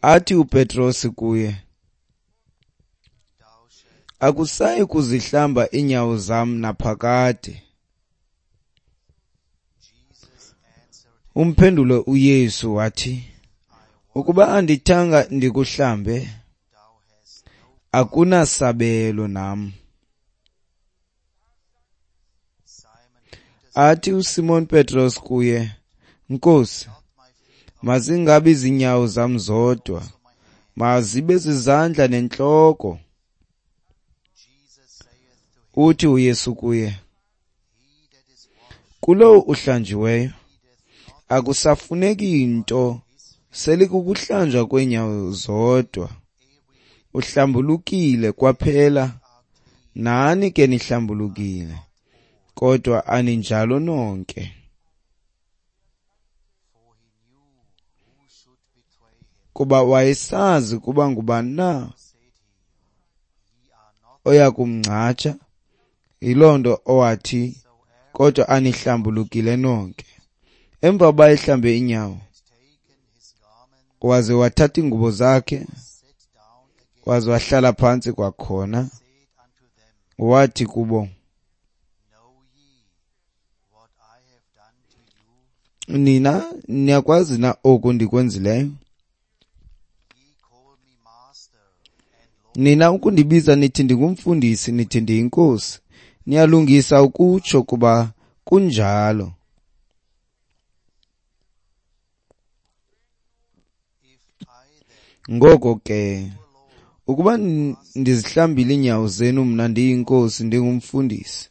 Athi uPetros kuye, akusayi kuzihlamba iinyawo zam naphakade. Umphendule uYesu wathi, ukuba andithanga ndikuhlambe, akunasabelo nam. Athi uSimon Petros kuye, Nkosi, mazingabi zinyawo zam zodwa, mazibe zizandla nentloko. Uthi uYesu kuye, kulowo uhlanjiweyo akusafuneki nto, selikukuhlanjwa kweenyawo zodwa. Uhlambulukile kwaphela, nani ke nihlambulukile, kodwa aninjalo nonke. Kuba wayesazi kuba ngubani na oya kumngcatsha, yiloo nto owathi, kodwa anihlambulukile nonke. Emva kokuba ehlambe iinyawo, waze wathatha iingubo zakhe, waze wahlala phantsi kwakhona, wathi kubo, nina niyakwazi na oku ndikwenzileyo? Nina ukundibiza nithi ndingumfundisi, nithi ndiyinkosi, niyalungisa ukutsho kuba kunjalo. Ngoko ke, ukuba ndizihlambile iinyawo zenu mna ndiyiNkosi ndingumfundisi,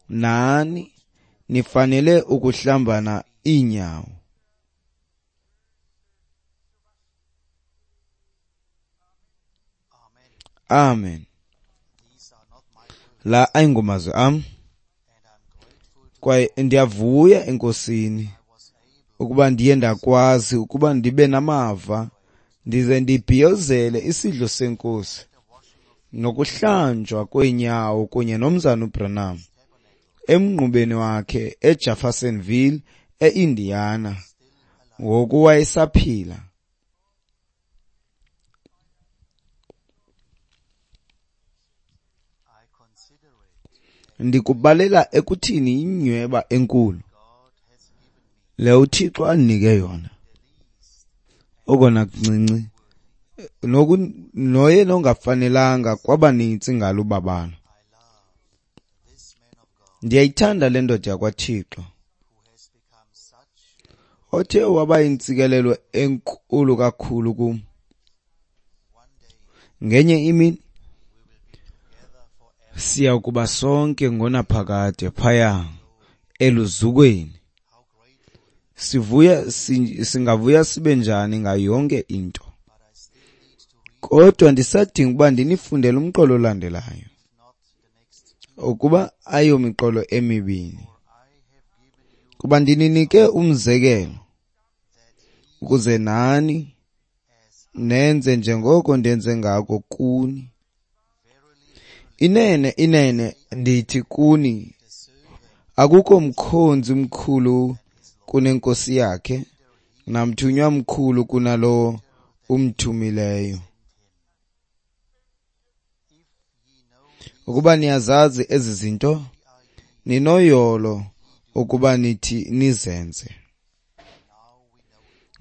nani nifanele ukuhlambana iinyawo. Amen. La ayingomazwi am, kwaye ndiyavuya eNkosini ukuba ndiye ndakwazi ukuba ndibe namava ndize ndibhiyozele isidlo seNkosi nokuhlanjwa kweenyawo kunye nomzana uBranham emnqubeni wakhe eJeffersonville eIndiana ngoku wayesaphila. Ndikubalela ekuthini inyweba enkulu le uThixo andinike yona, okona kuncinci noye nongafanelanga kwabanintsi ngalo ubabalo. Ndiyayithanda le ndoda yakwaThixo othe waba yintsikelelo enkulu kakhulu kum. Ngenye imini siya kuba sonke ngonaphakade phaya eluzukweni. Sivuya, singavuya sibe njani ngayo yonke into. Kodwa ndisadinga ukuba ndinifundele umqolo olandelayo, ukuba ayomiqolo emibini, kuba ndininike umzekelo ukuze nani nenze njengoko ndenze ngako kuni. Inene, inene, ndithi kuni, akukho mkhonzi mkhulu kunenkosi yakhe, namthunywa mkhulu kunalowo umthumileyo. Ukuba niyazazi ezi zinto, ninoyolo ukuba nithi nizenze.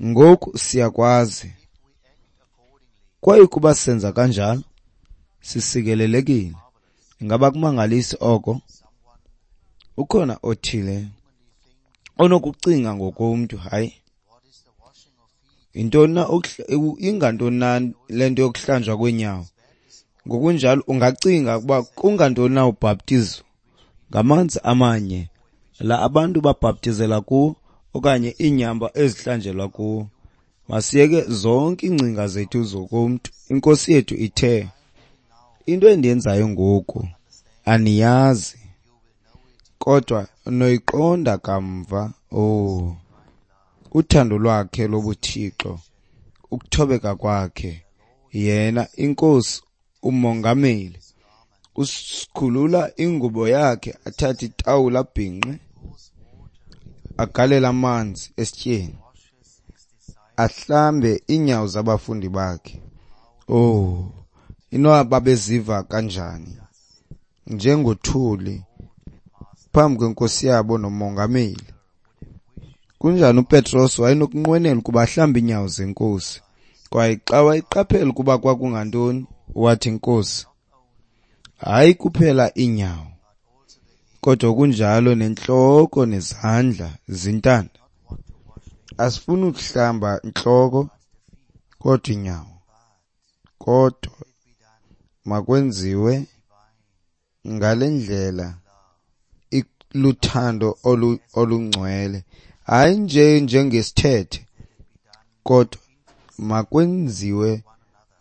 Ngoku siyakwazi. Kwaye kuba senza kanjalo, sisikelelekile. Ingaba kumangalisi oko? Ukhona othile onokucinga ngokomntu, hayi, yintoni na ingantoni na le nto yokuhlanjwa kweenyawo? Ngokunjalo ungacinga ukuba kungantoni na ubhaptizo ngamanzi amanye la abantu babhaptizela kuwo okanye iinyamba ezihlanjelwa kuwo. Masiyeke zonke iingcinga zethu zokomntu. INkosi yethu ithe, into endiyenzayo ngoku aniyazi, kodwa noyiqonda kamva. Oh, uthando lwakhe lobuThixo, ukuthobeka kwakhe, yena iNkosi uMongameli usikhulula ingubo yakhe, athathe itawula abhinqe, agalele amanzi esityeni, ahlambe iinyawo zabafundi bakhe. Oh, inoba babeziva kanjani njengothuli phambi kwenkosi yabo noMongameli. Kunjani uPetros wayenokunqwenela ukuba ahlambe iinyawo zeNkosi, kwaye xa wayeqaphela ukuba kwakungantoni, wathi, Nkosi, hayi kuphela iinyawo, kodwa kunjalo nentloko nezandla zintanda. Asifuni ukuhlamba intloko kodwa iinyawo, kodwa makwenziwe ngale ndlela luthando olungcwele, hayi nje njengesithethe, kodwa makwenziwe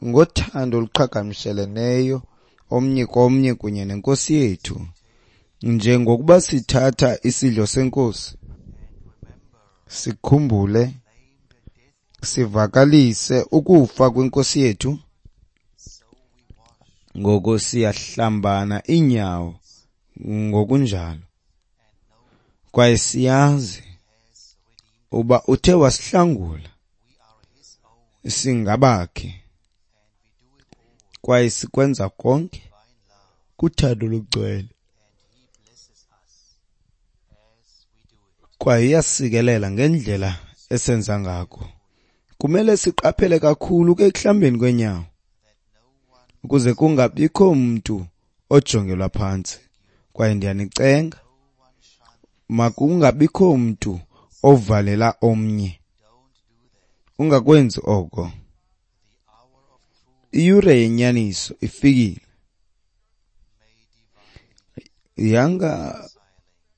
ngothando oluqhagamsheleneyo omnye komnye kunye nenkosi yethu. Njengokuba sithatha isidlo senkosi, sikhumbule, sivakalise ukufa kwenkosi yethu, ngoko siyahlambana iinyawo ngokunjalo. Kwaye siyazi uba uthe wasihlangula, singabakhe, kwaye sikwenza konke kuthando lugcwele. Kwaye iyasikelela ngendlela esenza ngako. Kumele siqaphele kakhulu ke ekuhlambeni kweenyawo, ukuze kungabikho mntu ojongelwa phantsi. Kwaye ndiyanicenga, makungabikho mntu ovalela omnye. Ungakwenzi oko. Iyure yenyaniso ifikile. Yanga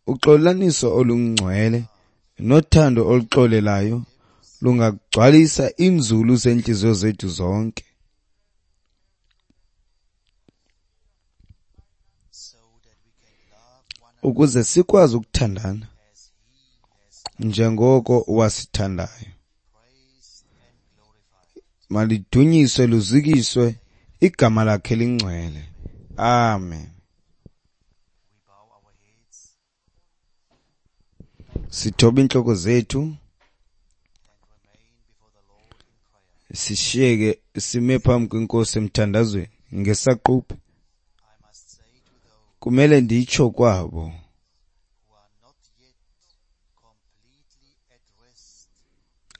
uxolelaniso olungcwele nothando oluxolelayo lungagcwalisa iinzulu zeentliziyo zethu zonke, ukuze sikwazi ukuthandana njengoko wasithandayo. Malidunyiswe luzukiswe igama lakhe lingcwele. Amen. Sithoba iintloko zethu, sishiyeke sime phambi kweNkosi emthandazweni ngesaquphe. Kumele nditsho kwabo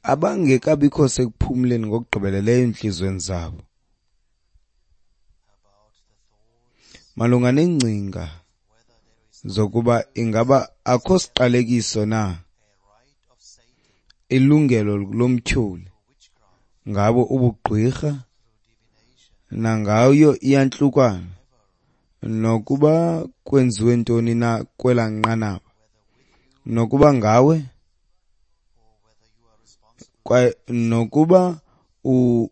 abangekabikho sekuphumleni ngokugqibeleleyo entliziyweni zabo malunga neengcinga zokuba ingaba akho siqalekiso na ilungelo lomtyholi ngabo ubugqwirha nangayo iyantlukwano, nokuba kwenziwe ntoni na kwela nqanaba, nokuba ngawe kwaye nokuba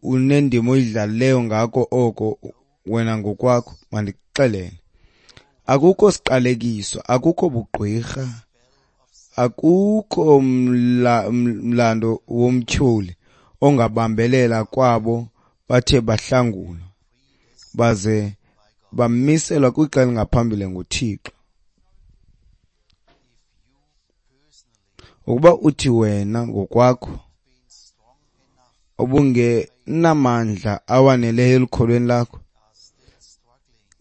unendima oyidlalileyo ngako oko wena ngokwakho. Mandikuxelele, akukho siqalekiso, akukho bugqwirha, akukho mlando womtyholi ongabambelela kwabo bathe bahlangulwa baze bamiselwa kwixa elingaphambili nguThixo. Ukuba uthi wena ngokwakho ubungenamandla awaneleyo elukholweni lakho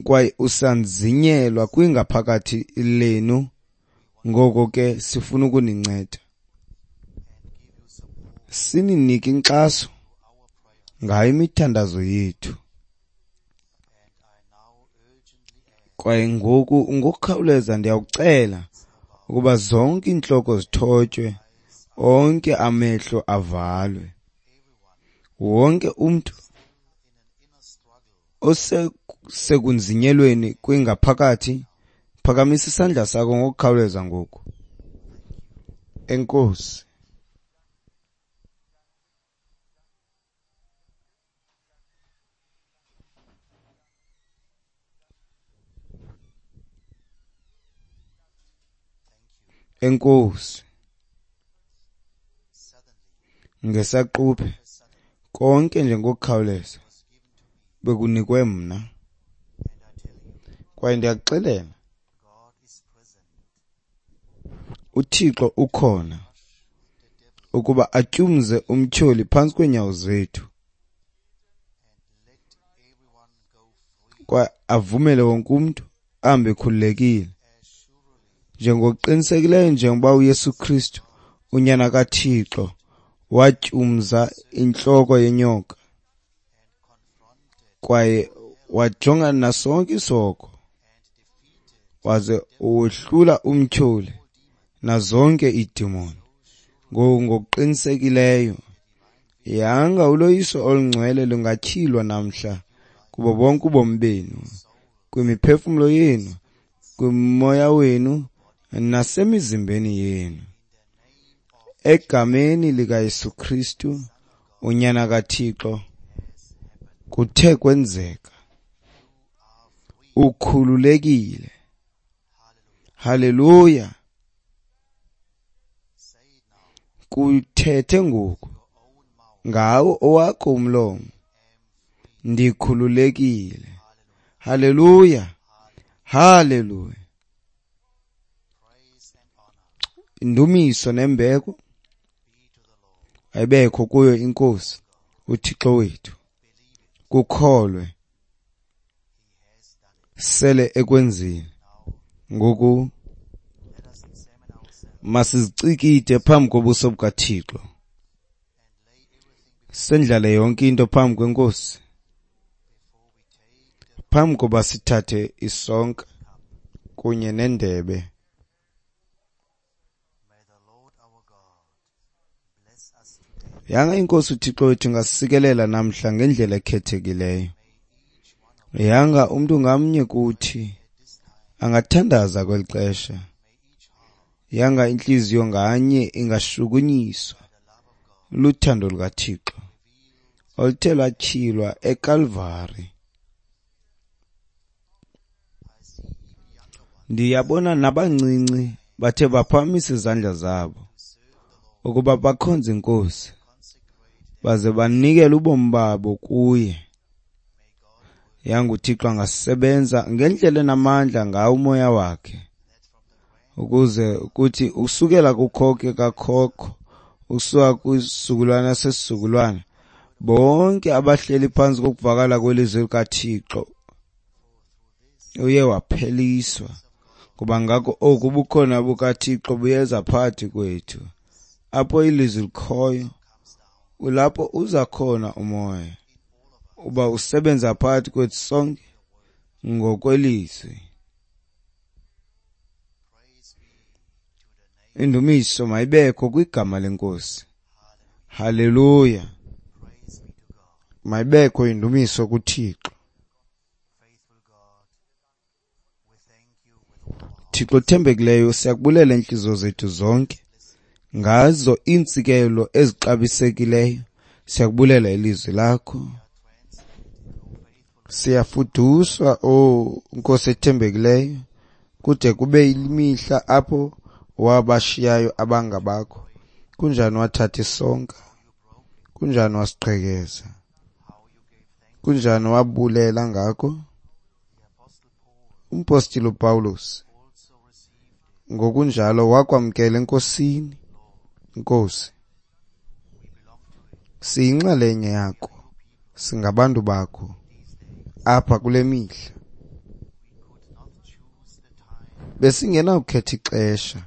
kwaye usanzinyelwa kwingaphakathi lenu, ngoko ke sifuna ukuninceda, sininike inkxaso ngayo imithandazo yethu. Kwaye ngoku ngokukhawuleza ndiyawucela ukuba zonke iintloko zithotywe, onke amehlo avalwe, wonke umntu osekunzinyelweni kwingaphakathi, phakamisa isandla sakho ngokukhawuleza ngoku. Enkosi. Enkosi. Ngesaquphe konke nje ngokukhawuleza bekunikwe mna, kwaye ndiyakuxelela, uThixo ukhona ukuba atyumze umtyholi phantsi kweenyawo zethu kwaye avumele wonke umntu ahambe ekhululekile, njengokuqinisekileyo njengoba uYesu Kristu unyana kaThixo watyumza intloko yenyoka kwaye wajongana nasonke isihogo waze wohlula umtyholi nazonke iidemoni. Ngokuqinisekileyo yanga uloyiso olungcwele lungatyhilwa namhla kubo bonke ubomi benu, kwimiphefumlo yenu, kwimoya wenu nasemizimbeni yenu, egameni likaYesu Kristu unyana kaThixo. Kuthe kwenzeka. Ukhululekile. Haleluya. Kuthethe ngoku ngawo owakho umlomo, ndikhululekile. Haleluya, haleluya. Indumiso nembeko ayibekho kuyo iNkosi uThixo wethu. Kukholwe, sele ekwenzile. Ngoku masizicikide phambi kobuso bukaThixo, sendlale yonke into phambi kweNkosi, phambi koba sithathe isonka kunye nendebe. Yanga iNkosi uThixo wethu ingasikelela namhla ngendlela ekhethekileyo. Yanga umntu ngamnye kuthi angathandaza kweli xesha. Yanga intliziyo nganye ingashukunyiswa luthando lukaThixo oluthe lwatyhilwa eKalvari. Ndiyabona nabancinci bathe baphakamisa izandla zabo ukuba bakhonze iNkosi baze banikele ubomi babo kuye. Yanga uThixo angasebenza ngendlela enamandla ngawo umoya wakhe, ukuze kuthi usukela kukhokho kakhokho, usuka kwisizukulwana sesizukulwana, bonke abahleli phantsi kokuvakala kwelizwi likaThixo uye wapheliswa. Kuba ngako oku ubukhona bukaThixo buyeza phakathi kwethu. Apho ilizwi likhoyo, kulapho uza khona umoya, uba usebenza phakathi kwethu sonke ngokwelizwi. Indumiso mayibekho kwigama leNkosi. Haleluya. Mayibekho indumiso kuThixo. Thixo othembekileyo, siyakubulela iintliziyo zethu zonke ngazo iintsikelo ezixabisekileyo. Siyakubulela ilizwi lakho. Siyafuduswa, o Nkosi ethembekileyo, kude kube imihla apho wabashiyayo abangabakho. Kunjani wathatha isonka? Kunjani wasiqhekeza? Kunjani wabulela ngako? Umpostile uPawulos ngokunjalo wakwamkela eNkosini. Nkosi, siyinxalenye yakho, singabantu bakho apha kule mihla. Besingenawukhetha ixesha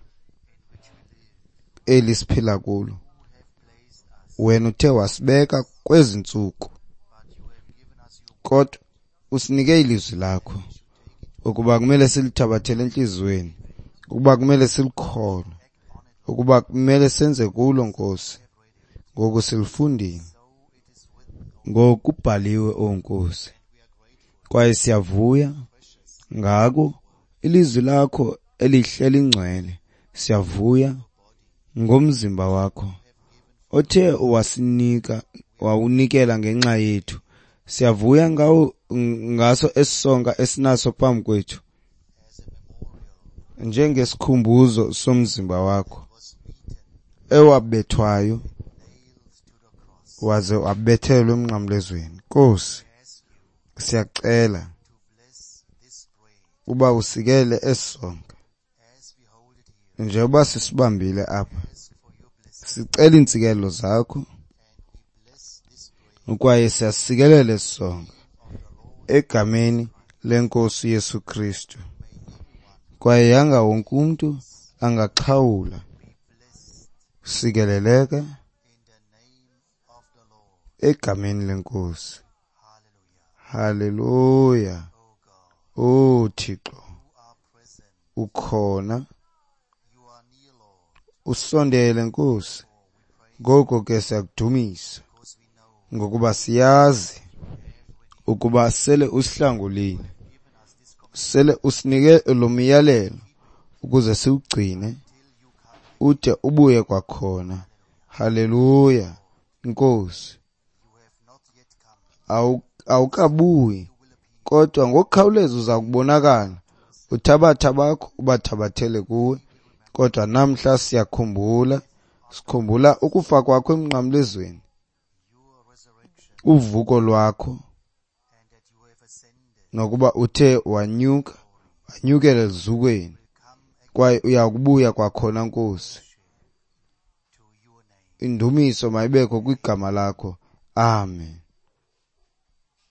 eli siphila kulo. Wena uthe wasibeka kwezi ntsuku, kodwa usinike ilizwi lakho ukuba kumele silithabathele entliziyweni, ukuba kumele silikholwe, ukuba kumele senze kulo, Nkosi. Ngoku silifundile, ngokubhaliwe, o Nkosi, kwaye siyavuya ngako ilizwi lakho elihle lingcwele. Siyavuya ngomzimba wakho othe wasinika, wawunikela ngenxa yethu. Siyavuya ngawo, ngaso esisonka esinaso phambi kwethu njengesikhumbuzo somzimba wakho ewabethwayo waze wabethelwa emnqamlezweni. Nkosi, siyacela uba usikele esisonka njengoba sisibambile apha. Sicela iintsikelo zakho kwaye siyasikelela esisonka egameni leNkosi Yesu Kristu. Kwaye yanga wonke umntu angaxhawula. Sikeleleka egameni leNkosi. Haleluya. O Thixo, ukhona, usondele Nkosi. Ngoko ke siyakudumisa, ngokuba siyazi ukuba sele usihlangulile, sele usinike lo myalelo ukuze siwugcine ude ubuye kwakhona. Haleluya. Nkosi, awukabuyi, kodwa ngokukhawuleza uza kubonakala. Uthabatha bakho ubathabathele kuwe. Kodwa namhla siyakhumbula, sikhumbula ukufa kwakho emnqamlezweni, uvuko lwakho, nokuba uthe wanyuka, wanyukela elizukweni, kwaye uyakubuya kwakhona, Nkosi. Indumiso mayibekho kwigama lakho. Amen.